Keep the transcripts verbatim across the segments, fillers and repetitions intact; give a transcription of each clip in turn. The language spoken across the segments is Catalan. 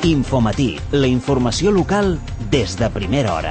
Infomatí, la informació local des de primera hora.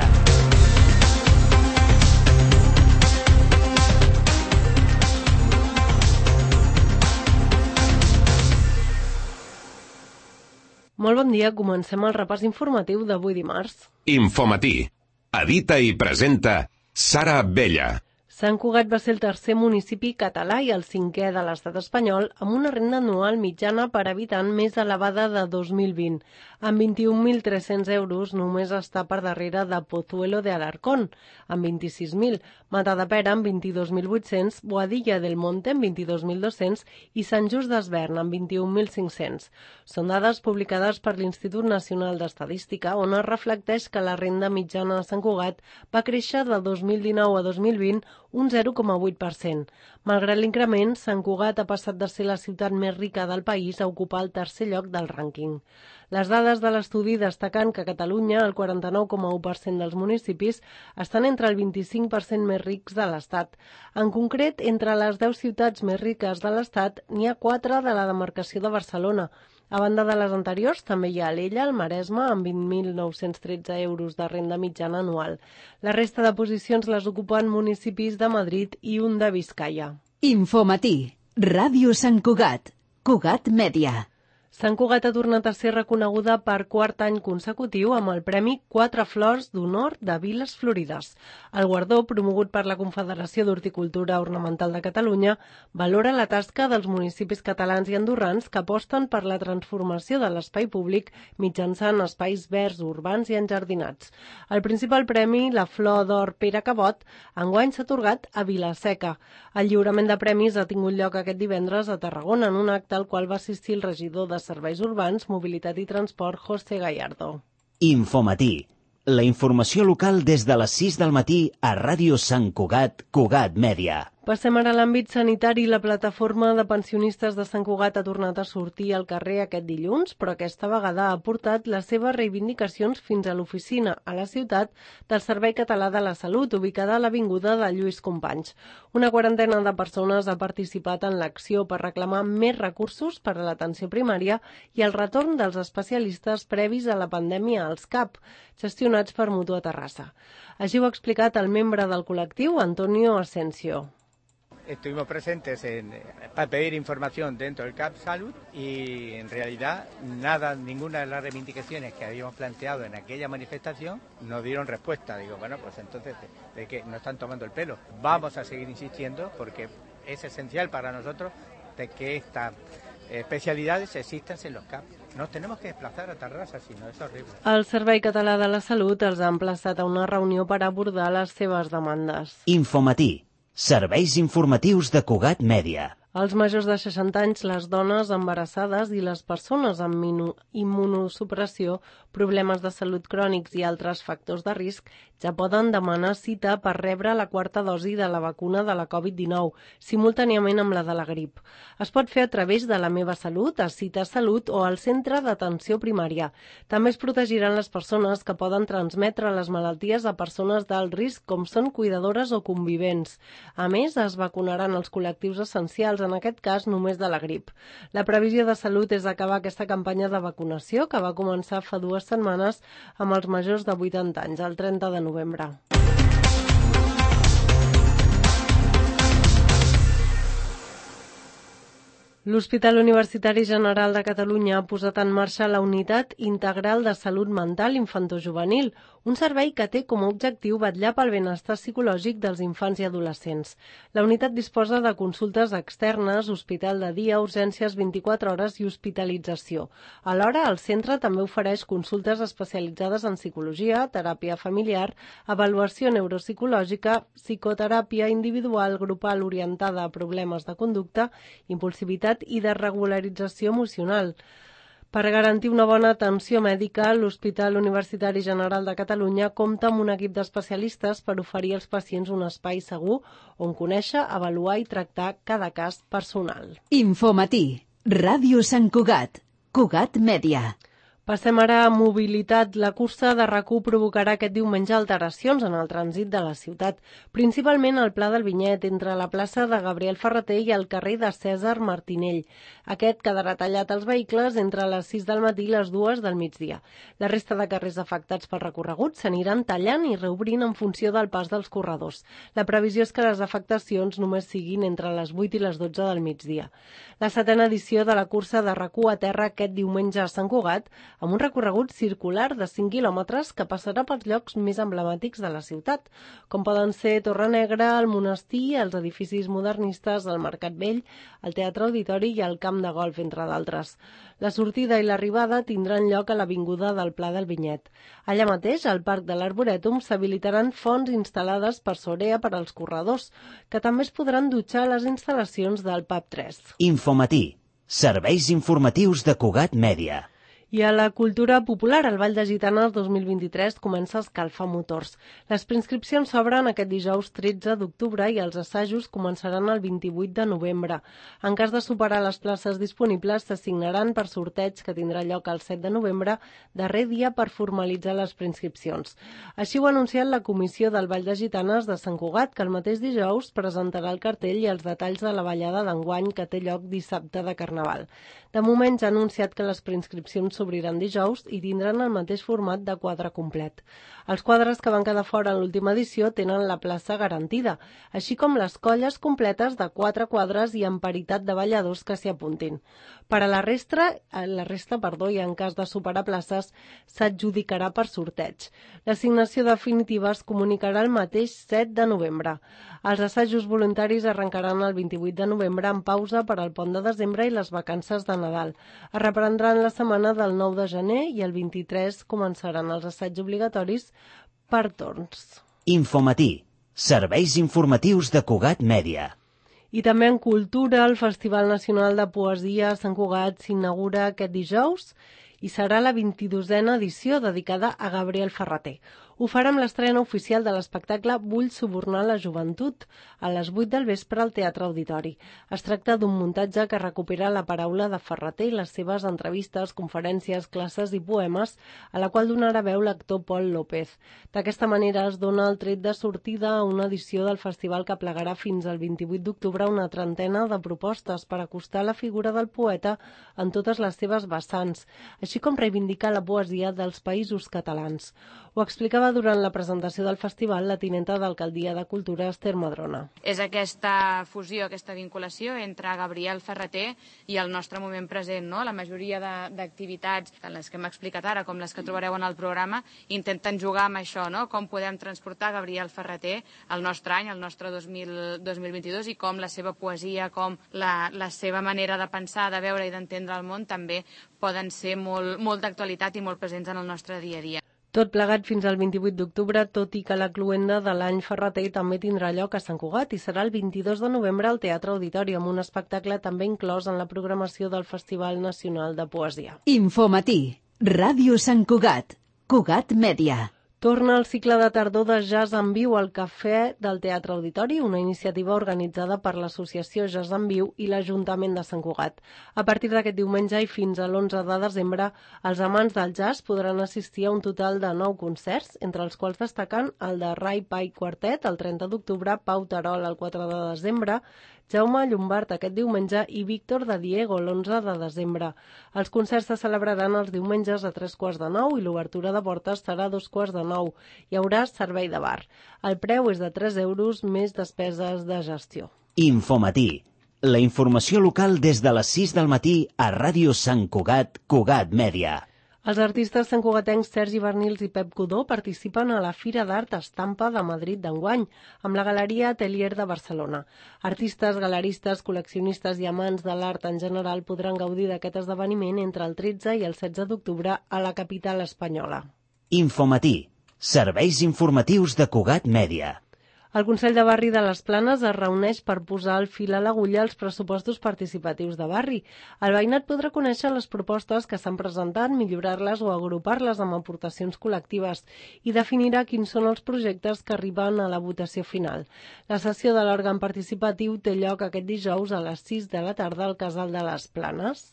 Molt bon dia, comencem el repàs informatiu d'avui dimarts. Infomatí. Edita i presenta Sara Abella. Sant Cugat va ser el tercer municipi català i el cinquè de l'estat espanyol amb una renda anual mitjana per habitant més elevada de dos mil vint. Amb vint-i-un mil tres-cents euros només està per darrere de Pozuelo de Alarcón, amb vint-i-sis mil, Matadepera amb vint-i-dos mil vuit-cents, Boadilla del Monte amb vint-i-dos mil dos-cents i Sant Just Desvern amb vint-i-un mil cinc-cents. Són dades publicades per l'Institut Nacional d'Estadística, on es reflecteix que la renda mitjana de Sant Cugat va créixer de dos mil dinou a dos mil vint un zero coma vuit per cent. Malgrat l'increment, Sant Cugat ha passat de ser la ciutat més rica del país a ocupar el tercer lloc del rànquing. Les dades de l'estudi destaquen que a Catalunya el quaranta-nou coma u per cent dels municipis estan entre el vint-i-cinc per cent més rics de l'Estat. En concret, entre les deu ciutats més riques de l'Estat, n'hi ha quatre de la demarcació de Barcelona. A banda de les anteriors, també hi ha l'Ella, el Maresme, amb vint mil nou-cents tretze euros de renda mitjana anual. La resta de posicions les ocupen municipis de Madrid i un de Biscaia. Infomatí, Ràdio Sant Cugat, Cugat Mèdia. Sant Cugat ha tornat a ser reconeguda per quart any consecutiu amb el Premi Quatre Flors d'Honor de Viles Florides. El guardó, promogut per la Confederació d'Horticultura Ornamental de Catalunya, valora la tasca dels municipis catalans i andorrans que aposten per la transformació de l'espai públic mitjançant espais verds, urbans i enjardinats. El principal premi, la Flor d'Or Pere Cabot, enguany s'ha atorgat a Vila-seca. El lliurament de premis ha tingut lloc aquest divendres a Tarragona en un acte al qual va assistir el regidor de Serveis Urbans, Mobilitat i Transport, José Gallardo. Infomatí, la informació local des de les sis del matí a Ràdio Sant Cugat, Cugat Mèdia. Passem ara a l'àmbit sanitari. La plataforma de pensionistes de Sant Cugat ha tornat a sortir al carrer aquest dilluns, però aquesta vegada ha portat les seves reivindicacions fins a l'oficina, a la ciutat, del Servei Català de la Salut, ubicada a l'avinguda de Lluís Companys. Una quarantena de persones ha participat en l'acció per reclamar més recursos per a l'atenció primària i el retorn dels especialistes previs a la pandèmia als C A P, gestionats per Mutua Terrassa. Així ho ha explicat el membre del col·lectiu, Antonio Asensio. Estuvimos presentes en, para pedir información dentro del C A P Salud y en realidad nada, ninguna de las reivindicaciones que habíamos planteado en aquella manifestación nos dieron respuesta. Digo, bueno, pues entonces, ¿de qué nos están tomando el pelo? Vamos a seguir insistiendo porque es esencial para nosotros de que estas especialidades existan en los C A P. Nos tenemos que desplazar a Terrassa, si no, és horrible. El Servei Català de la Salut els ha emplaçat a una reunió per abordar les seves demandes. Infomatí, serveis informatius de Cugat Mèdia. Els majors de seixanta anys, les dones embarassades i les persones amb immunosupressió, problemes de salut crònics i altres factors de risc ja poden demanar cita per rebre la quarta dosi de la vacuna de la covid dinou, simultàniament amb la de la grip. Es pot fer a través de La Meva Salut, a Cita Salut o al Centre d'Atenció Primària. També es protegiran les persones que poden transmetre les malalties a persones d'alt risc, com són cuidadores o convivents. A més, es vacunaran els col·lectius essencials, en aquest cas només de la grip. La previsió de Salut és acabar aquesta campanya de vacunació que va començar fa dues setmanes amb els majors de vuitanta anys, el trenta de novembre. L'Hospital Universitari General de Catalunya ha posat en marxa la Unitat Integral de Salut Mental Infantojuvenil, un servei que té com a objectiu vetllar pel benestar psicològic dels infants i adolescents. La unitat disposa de consultes externes, hospital de dia, urgències vint-i-quatre hores i hospitalització. Alhora, el centre també ofereix consultes especialitzades en psicologia, teràpia familiar, avaluació neuropsicològica, psicoteràpia individual, grupal orientada a problemes de conducta, impulsivitat i de regularització emocional. Per garantir una bona atenció mèdica, l'Hospital Universitari General de Catalunya compta amb un equip d'especialistes per oferir als pacients un espai segur on conèixer, avaluar i tractar cada cas personal. Infomatí, Ràdio Sant Cugat, Cugat Mèdia. Passem ara a mobilitat. La cursa de RAC u provocarà aquest diumenge alteracions en el trànsit de la ciutat, principalment al Pla del Vinyet, entre la plaça de Gabriel Ferrater i el carrer de Cèsar Martinell. Aquest quedarà tallat als vehicles entre les sis del matí i les dues del migdia. La resta de carrers afectats pel recorregut s'aniran tallant i reobrint en funció del pas dels corredors. La previsió és que les afectacions només siguin entre les vuit i les dotze del migdia. La setena edició de la cursa de RAC u aterra aquest diumenge a Sant Cugat, amb un recorregut circular de cinc quilòmetres que passarà pels llocs més emblemàtics de la ciutat, com poden ser Torre Negra, el Monestir, els edificis modernistes, el Mercat Vell, el Teatre Auditori i el Camp de Golf, entre d'altres. La sortida i l'arribada tindran lloc a l'avinguda del Pla del Vinyet. Allà mateix, al Parc de l'Arborètum, s'habilitaran fonts instal·lades per Sorea per als corredors, que també es podran dutxar a les instal·lacions del P A P tres. Infomatí. Serveis informatius de Cugat Mèdia. I a la cultura popular, el Ball de Gitanes dos mil vint-i-tres comença a escalfar motors. Les preinscripcions s'obren aquest dijous tretze d'octubre i els assajos començaran el vint-i-vuit de novembre. En cas de superar les places disponibles, s'assignaran per sorteig que tindrà lloc el set de novembre, darrer dia per formalitzar les preinscripcions. Així ho ha anunciat la comissió del Ball de Gitanes de Sant Cugat, que el mateix dijous presentarà el cartell i els detalls de la ballada d'enguany que té lloc dissabte de Carnaval. De moment ja ha anunciat que les preinscripcions s'obriran dijous i tindran el mateix format de quadre complet. Els quadres que van quedar fora en l'última edició tenen la plaça garantida, així com les colles completes de quatre quadres i amb paritat de balladors que s'hi apuntin. Per a la resta, la resta perdó, i en cas de superar places, s'adjudicarà per sorteig. L'assignació definitiva es comunicarà el mateix set de novembre. Els assajos voluntaris arrencaran el vint-i-vuit de novembre amb pausa per al pont de desembre i les vacances de Nadal. Es reprendran la setmana del nou de gener i el vint-i-tres començaran els assaigs obligatoris per torns. Infomatí. Serveis informatius de Cugat Mèdia. I també en cultura, el Festival Nacional de Poesia a Sant Cugat s'inaugura aquest dijous i serà la vint-i-dosena edició dedicada a Gabriel Ferrater. Ho farà amb l'estrena oficial de l'espectacle Vull subornar la joventut, a les vuit del vespre al Teatre Auditori. Es tracta d'un muntatge que recupera la paraula de Ferrater i les seves entrevistes, conferències, classes i poemes, a la qual donarà veu l'actor Pol López. D'aquesta manera es dona el tret de sortida a una edició del festival que plegarà fins al vint-i-vuit d'octubre una trentena de propostes per acostar la figura del poeta en totes les seves vessants, així com reivindicar la poesia dels països catalans. Ho explicava durant la presentació del festival la tinenta d'Alcaldia de Cultura, Esther Madrona. És aquesta fusió, aquesta vinculació entre Gabriel Ferrater i el nostre moment present, no? La majoria d'activitats, tant les que hem explicat ara com les que trobareu en el programa, intenten jugar amb això, no? Com podem transportar Gabriel Ferrater al nostre any, al nostre dos mil vint-i-dos, i com la seva poesia, com la, la seva manera de pensar, de veure i d'entendre el món també poden ser molt, molt d'actualitat i molt presents en el nostre dia a dia. Tot plegat fins al vint-i-vuit d'octubre, tot i que la cloenda de l'any Ferrater també tindrà lloc a Sant Cugat i serà el vint-i-dos de novembre al Teatre Auditori, amb un espectacle també inclòs en la programació del Festival Nacional de Poesia. Infomatí. Ràdio Sant Cugat. Cugat Mèdia. Torna el cicle de tardor de Jazz en Viu al Cafè del Teatre Auditori, una iniciativa organitzada per l'Associació Jazz en Viu i l'Ajuntament de Sant Cugat. A partir d'aquest diumenge i fins a l'onze de desembre, els amants del jazz podran assistir a un total de nou concerts, entre els quals destaquen el de Ray Pike Quartet el trenta d'octubre, Pau Terol el quatre de desembre, Jaume Llombart aquest diumenge i Víctor de Diego l'onze de desembre. Els concerts se celebraran els diumenges a tres quarts de nou i l'obertura de portes serà a dos quarts de nou. Hi haurà servei de bar. El preu és de tres euros més despeses de gestió. Infomatí. La informació local des de les sis del matí a Ràdio Sant Cugat, Cugat Mèdia. Els artistes santcugatencs Sergi Bernils i Pep Codó participen a la Fira d'Art Estampa de Madrid d'enguany, amb la Galeria Atelier de Barcelona. Artistes, galeristes, col·leccionistes i amants de l'art en general podran gaudir d'aquest esdeveniment entre el tretze i el setze d'octubre a la capital espanyola. Infomatí. Serveis informatius de Cugat Mèdia. El Consell de Barri de les Planes es reuneix per posar el fil a l'agulla als pressupostos participatius de barri. El veïnat podrà conèixer les propostes que s'han presentat, millorar-les o agrupar-les amb aportacions col·lectives i definirà quins són els projectes que arriben a la votació final. La sessió de l'òrgan participatiu té lloc aquest dijous a les sis de la tarda al Casal de les Planes.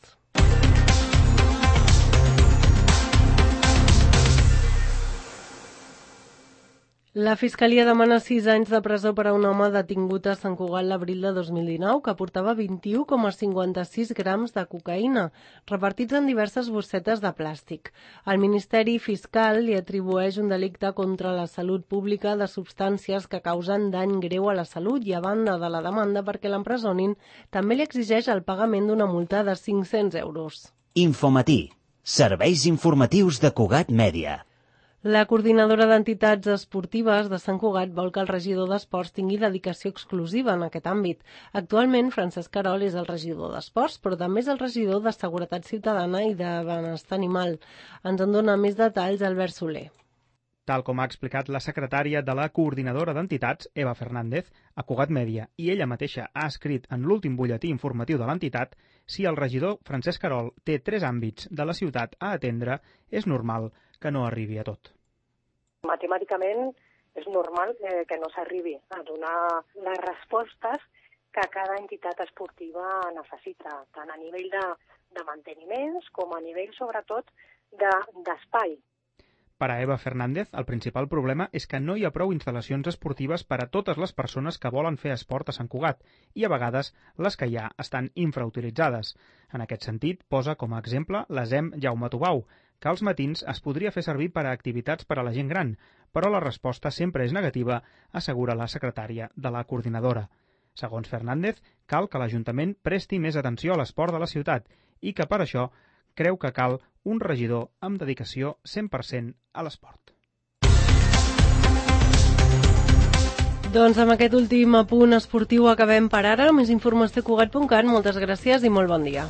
La Fiscalia demana sis anys de presó per a un home detingut a Sant Cugat l'abril de dos mil dinou que portava vint-i-u coma cinquanta-sis grams de cocaïna, repartits en diverses bossetes de plàstic. El Ministeri Fiscal li atribueix un delicte contra la salut pública de substàncies que causen dany greu a la salut i, a banda de la demanda perquè l'empresonin, també li exigeix el pagament d'una multa de cinc-cents euros. Infomatí. Serveis informatius de Cugat Mèdia. La coordinadora d'entitats esportives de Sant Cugat vol que el regidor d'Esports tingui dedicació exclusiva en aquest àmbit. Actualment, Francesc Querol és el regidor d'Esports, però també és el regidor de Seguretat Ciutadana i de Benestar Animal. Ens en dona més detalls Albert Soler. Tal com ha explicat la secretària de la coordinadora d'entitats, Eva Fernández, a Cugat Mèdia, i ella mateixa ha escrit en l'últim butlletí informatiu de l'entitat, si el regidor Francesc Querol té tres àmbits de la ciutat a atendre, és normal que no arribi a tot. Matemàticament és normal eh, que no s'arribi a donar les respostes que cada entitat esportiva necessita, tant a nivell de, de manteniments com a nivell, sobretot, d'espai. De, Per a Eva Fernández, el principal problema és que no hi ha prou instal·lacions esportives per a totes les persones que volen fer esport a Sant Cugat i, a vegades, les que hi ha estan infrautilitzades. En aquest sentit, posa com a exemple l'A S E M Jaume Tubau, que als matins es podria fer servir per a activitats per a la gent gran, però la resposta sempre és negativa, assegura la secretària de la coordinadora. Segons Fernández, cal que l'Ajuntament presti més atenció a l'esport de la ciutat i que per això creu que cal un regidor amb dedicació cent per cent a l'esport. Doncs amb aquest últim apunt esportiu acabem per ara. Més informació a cugat punt cat. Moltes gràcies i molt bon dia.